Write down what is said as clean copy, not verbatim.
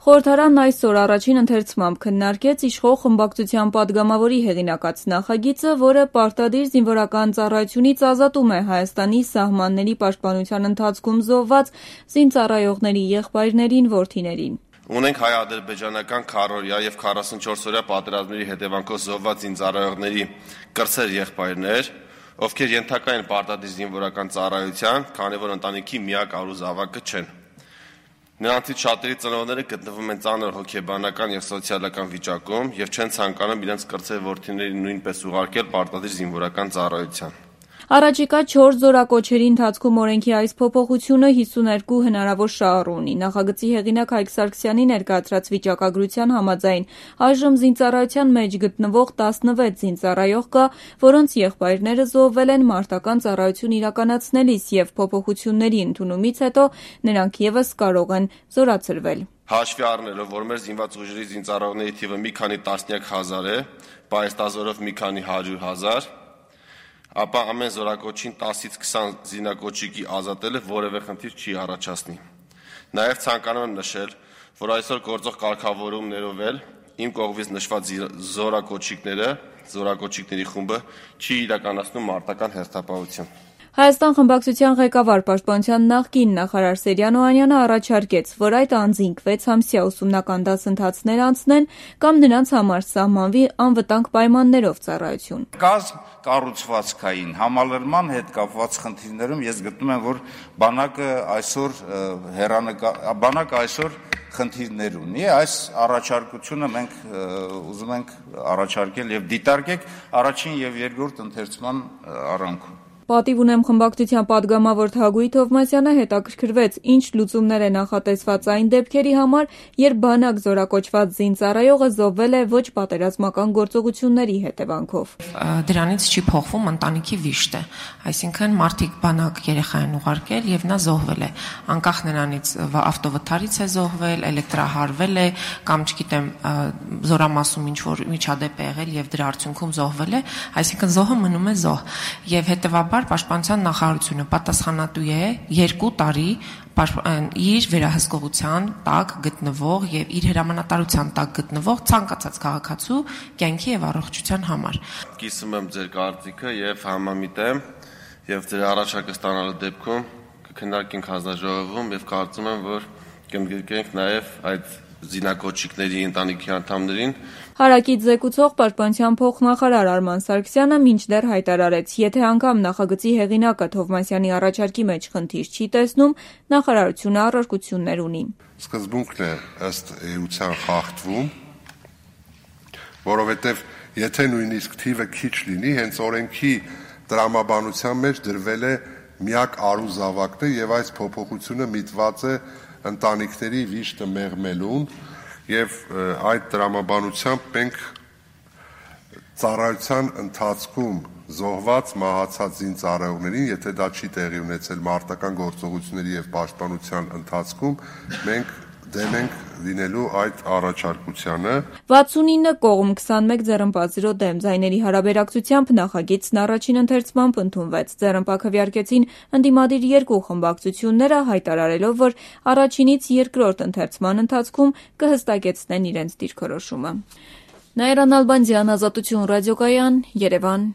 Խորհրդարանն այսօր առաջին ընթերցմամբ քննարկեց իշխող խմբակցության պատգամավորի հեղինակած նախագիծը, որը պարտադիր զինվորական ծառայությունից ազատում է Հայաստանի սահմանների պաշտպանության ընթացքում զոհված զինծառայողների եղբայրներին, որդիներին։ Ունենք հայ-ադրբեջանական քառօրյա եւ 44-օրյա պատերազմների հետևանքով զոհված զինծառայողների կրտսեր եղբայրներ, ովքեր ենթակա են պարտադիր զինվորական ծառայության, քանի որ ընտանիքի միակ առուզավակը չեն։ Նրանցից շատերի ծնողները գտնվում են ծանր հոգեբանական եւ սոցիալական վիճակում եւ չեն ցանկանում իրենց կրտսեր որդիներին նույնպես ուղարկել պարտադիր զինվորական ծառայության։ Առաջիկա 4 զորակոչերի ընթացքում օրենքի այս փոփոխությունը 52 հնարավոր շահառու ունի։ Նախագծի հեղինակ Հայկ Սարգսյանի ներկայացրած վիճակագրության համաձայն այժմ զինծառայության մեջ գտնվող 16 զինծառայող կա, որոնց եղբայրները զոհվել են մարտական ծառայություն իրականացնելիս եւ փոփոխությունների ընդունումից հետո նրանք եւս կարող են զորացրվել։ Հաշվի առնելով, որ մեր զինված ուժերի զինծառայողների թիվը մի քանի տասնյակ հազար է, պայստազորով մի քանի 100,000, ապա ամեն զորակոչին 10-ից 20 զինակոչիկի ազատելը որևէ խնդիր չի առաջացնի։ Նաև ցանկանում եմ նշել, որ այսօր գործող կարգավորումներով էլ իմ կողմից նշված զորակոչիկների խումբը չի իրականացնում մարտական հերթապահություն։ Հայաստան խմբակցության ղեկավար պաշտպանության նախկին նախարար Սերյան Օհանյանը առաջարկեց, որ այդ անձինք 6 ամսյա ուսումնական դասընթացներ անցնեն կամ նրանց համար սահմանվի անվտանգ պայմաններով ծառայություն։ Կազմ կառուցվածքային համալրման հետ կապված խնդիրներում ես գտնում եմ, որ բանակը այսօր խնդիրներ ունի։ Այս առաջարկությունը մենք ուզում ենք առաջարկել եւ դիտարկել առաջին եւ երկրորդ ընթերցման առանցքում։ Պատիվ ունեմ խմբակցության պատգամավոր Թագուհի Թովմասյանը հետաքրքրվեց, ինչ լուծումներ է նախատեսված այն դեպքերի համար, երբ բանակ զորակոչված զինծառայողը զոհվել է ոչ պատերազմական գործողությունների հետևանքով։ Դրանից չի փոխվում ընտանիքի վիշտը, այսինքն մարդիկ բանակ երեխա են ուղարկել եւ նա զոհվել է, անկախ նրանից ավտովթարից է զոհվել, էլեկտրահարվել է կամ չգիտեմ զորամասում ինչ որ միջադեպ է եղել եւ դրա արդյունքում զոհվել է, այսինքն զոհը մնում է զոհ եւ հետեւաբար Պաշտպանության նախարարությունը պատասխանատու է 2 տարի իր վերահսկողության տակ գտնվող եւ իր հրամանատարության տակ գտնվող ցանկացած քաղաքացու կյանքի եւ առողջության համար։ Կիսում եմ ձեր կարծիքը եւ համամիտ եմ եւ ձեր առաջարկը ստանալու դեպքում կքննարկենք հանձնաժողովում եւ կարծում եմ, որ կընդգրկենք նաեւ այդ զինակոչիկների ընտանիքի անդամներին։ Հարակից զեկուցող պաշտպանության փոխնախարար Արման Սարգսյանը մինչդեռ հայտարարեց, եթե անգամ նախագծի հեղինակը Թովմասյանի առաջարկի մեջ խնդիր չի տեսնում, նախարարությունը առարկություններ ունի։ Սկզբունքն է ըստ էության խախտվում, որովհետև եթե նույնիսկ թիվը քիչ լինի, հենց օրենքի տրամաբանության մեջ դրվել է միակ առուզավակն է եւ այս փոփոխությունը միտված է ընտանիքների վիշտը մեղմելուն եւ այդ տրամաբանությամբ մենք ծառայության ընթացքում զոհված մահացած զինծառայողներին, եթե դա չի տեղի ունեցել մարտական գործողությունների եւ պաշտպանության ընթացքում, մենք դեմ ենք լինելու այդ առաջարկությանը։ 69 կողմ 21 ձեռնպատի դեմ ձայների հարաբերակցությամբ նախագիծն առաջին ընթերցմամբ ընդունվեց։ Ձեռնպա քվեարկեցին ընդդիմադիր 2 խմբակցությունները, հայտարարելով, որ առաջինից երկրորդ ընթերցման ընթացքում կհստակեցնեն իրենց դիրքորոշումը։ Նաիրա Նալբանդյան, Ազատություն ռադիոկայան, Երևան։